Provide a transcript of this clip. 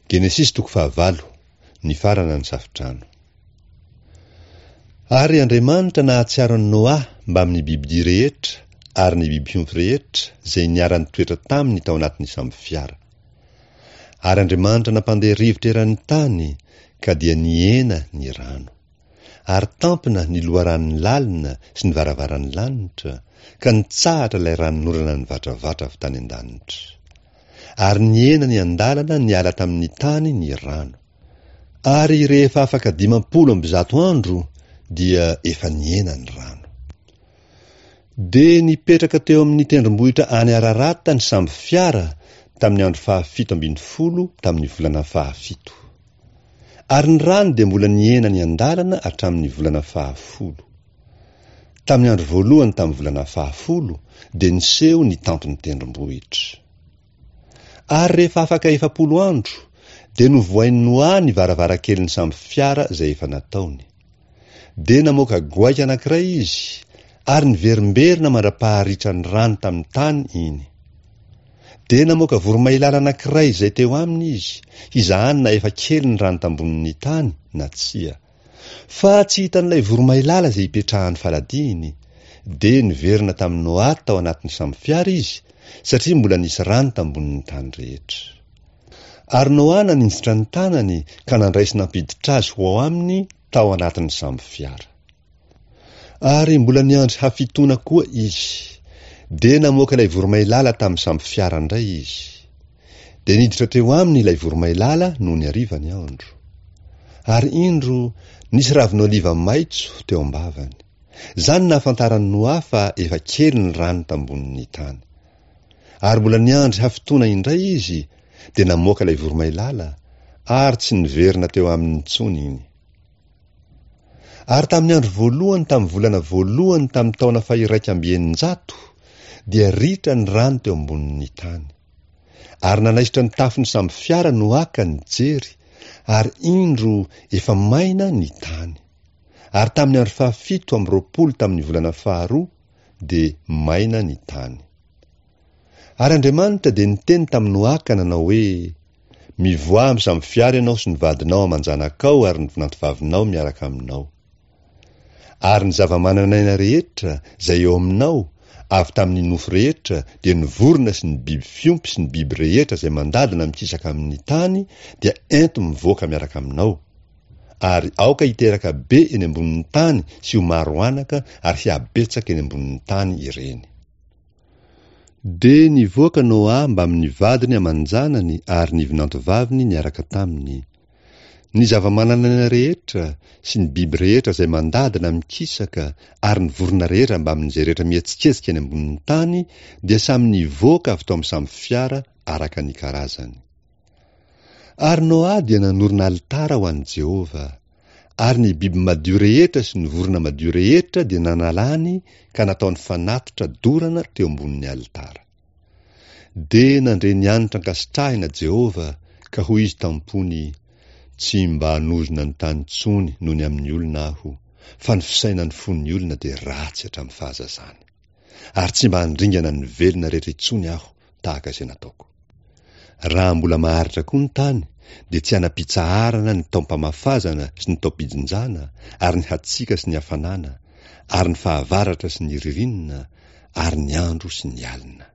Genesisy toko fahavalo, Nifarana ny safodrano. Ary Andriamanitra nahatsiaro an'i Noa mbamin'ny bibidia rehetra ary ny biby fiompy rehetra izay niara-nitoetra taminy tao anatin'ny sambofiara. Ary Andriamanitra nampandeha rivotra eran'ny tany, ka dia nihena ny rano. Ary tampina ny loharanony lalina sy ny varavaran'ny lanitra, ka nitsahatra ilay ranonorana nivatravatra avy tany an-danitra. Ary nihena niandalana niala tamin'ny tany ny rano. Ary rehefa afaka 150 andro dia efa nihena ny rano. Dia nipetraka teo amin'ny tendrombohitra any Ararata ny sambo fiara tamin'ny andro fahafito ambin'ny folo tamin'ny volana fahafito. Ary ny rano dia mbola nihena niandalana hatramin'ny volana fahafolo. Tamin'ny andro voalohany tamin'ny volana fahafolo dia niseho ny tampon'ny tendrombohitra. Ary rehefa afaka 40 andro dia novohain'i Noa ny varavarankelin'ny sambo fiara izay efa nataony. Dia namoaka goaika anankiray izy ary niverimberina mandra-paharitra ny rano tamin'ny tany iny. Dia namoaka voromailala anankiray izay teo aminy izy, hizahany na efa kely ny rano tambonin'ny tany na tsia. Fa tsy hitan'ilay voromailala izay ipetrahan'ny faladiany. Dia niverina tamin'i Noa tao anatin'ny sambofiara izy, satria mbola nisy rano tambonin'ny tany rehetra. Ary Noa naninjitra ny tanany ka nandray sy nampiditra azy ho ao aminy tao anatin'ny sambofiara. Ary mbola niandry hafitoana koa izy. Dia namoaka ilay voromailala tamin'ny sambofiara indray izy. Dia niditra teo aminy ilay voromailala nony hariva ny andro. Ary indro, nisy ravin'oliva maitso teo am-bavany. Izany nahafantaran'i Noa fa efa kely ny rano tambonin'ny tany. Ary mbola niandry hafitoana indray izy, dia namoaka ilay voromailala, ary tsy niverina teo aminy intsony iny. Ary tamin'ny andro voalohany tamin'ny volana voalohany tamin'ny taona faha-601, dia ritra ny rano teo ambonin'ny tany. Ary nanaisotra ny tafon'ny sambofiara Noa ka nijery, ary indro efa maina ny tany. Ary tamin'ny andro fahafito amby roapolo tamin'ny volana faharoa dia maina ny tany. Ary Andriamanitra dia niteny tamin'i Noa ka nanao hoe, Mivoaha amin'ny sambofiara ianao sy ny vadinao aman-janakao ary ny vinantovavinao miaraka aminao. Ary ny zava-manan'aina rehetra izay eo aminao, avy tamin'ny nofo rehetra, dia ny vorona sy ny biby fiompy sy ny biby rehetra izay mandady na mikisaka amin'ny tany, dia ento mivoaka miaraka aminao. Ary aoka hiteraka be eny ambonin'ny tany sy ho maro anaka ary hihabetsaka eny ambonin'ny tany ireny. Dia nivoaka Noa mbamin'ny vadiny aman-janany ary ny vinantovaviny niaraka taminy. Ny zava-manan'aina rehetra sy ny biby rehetra izay mandady na mikisaka ary ny vorona rehetra mbamin'izay rehetra mihetsiketsika eny ambonin'ny tany dia samy nivoaka avy tao amin'ny sambo fiara araka ny karazany. Ary Noa dia nanorina alitara ho an'i Jehovah. Ary ny biby madio rehetra sy ny vorona madio rehetra dia nanalany ka nataony fanatitra dorana teo ambonin'ny alitara. Dia nandre ny hanitra ankasitrahina Jehovah, ka hoy izy tam-pony, Tsy mba hanozona ny tany intsony noho ny amin'ny olona aho, fa ny fisainan'ny fon'ny olona dia ratsy hatramin'ny fahazazany. Ary tsy mba handringana ny velona rehetra intsony aho tahaka izay nataoko. Raha mbola maharitra koa ny tany dia tsy hanam-pitsaharana ny taom-pamafazana sy ny taom-pijinjana ary ny hatsiaka sy ny hafanana ary ny fahavaratra sy ny ririnina ary ny andro sy ny alina.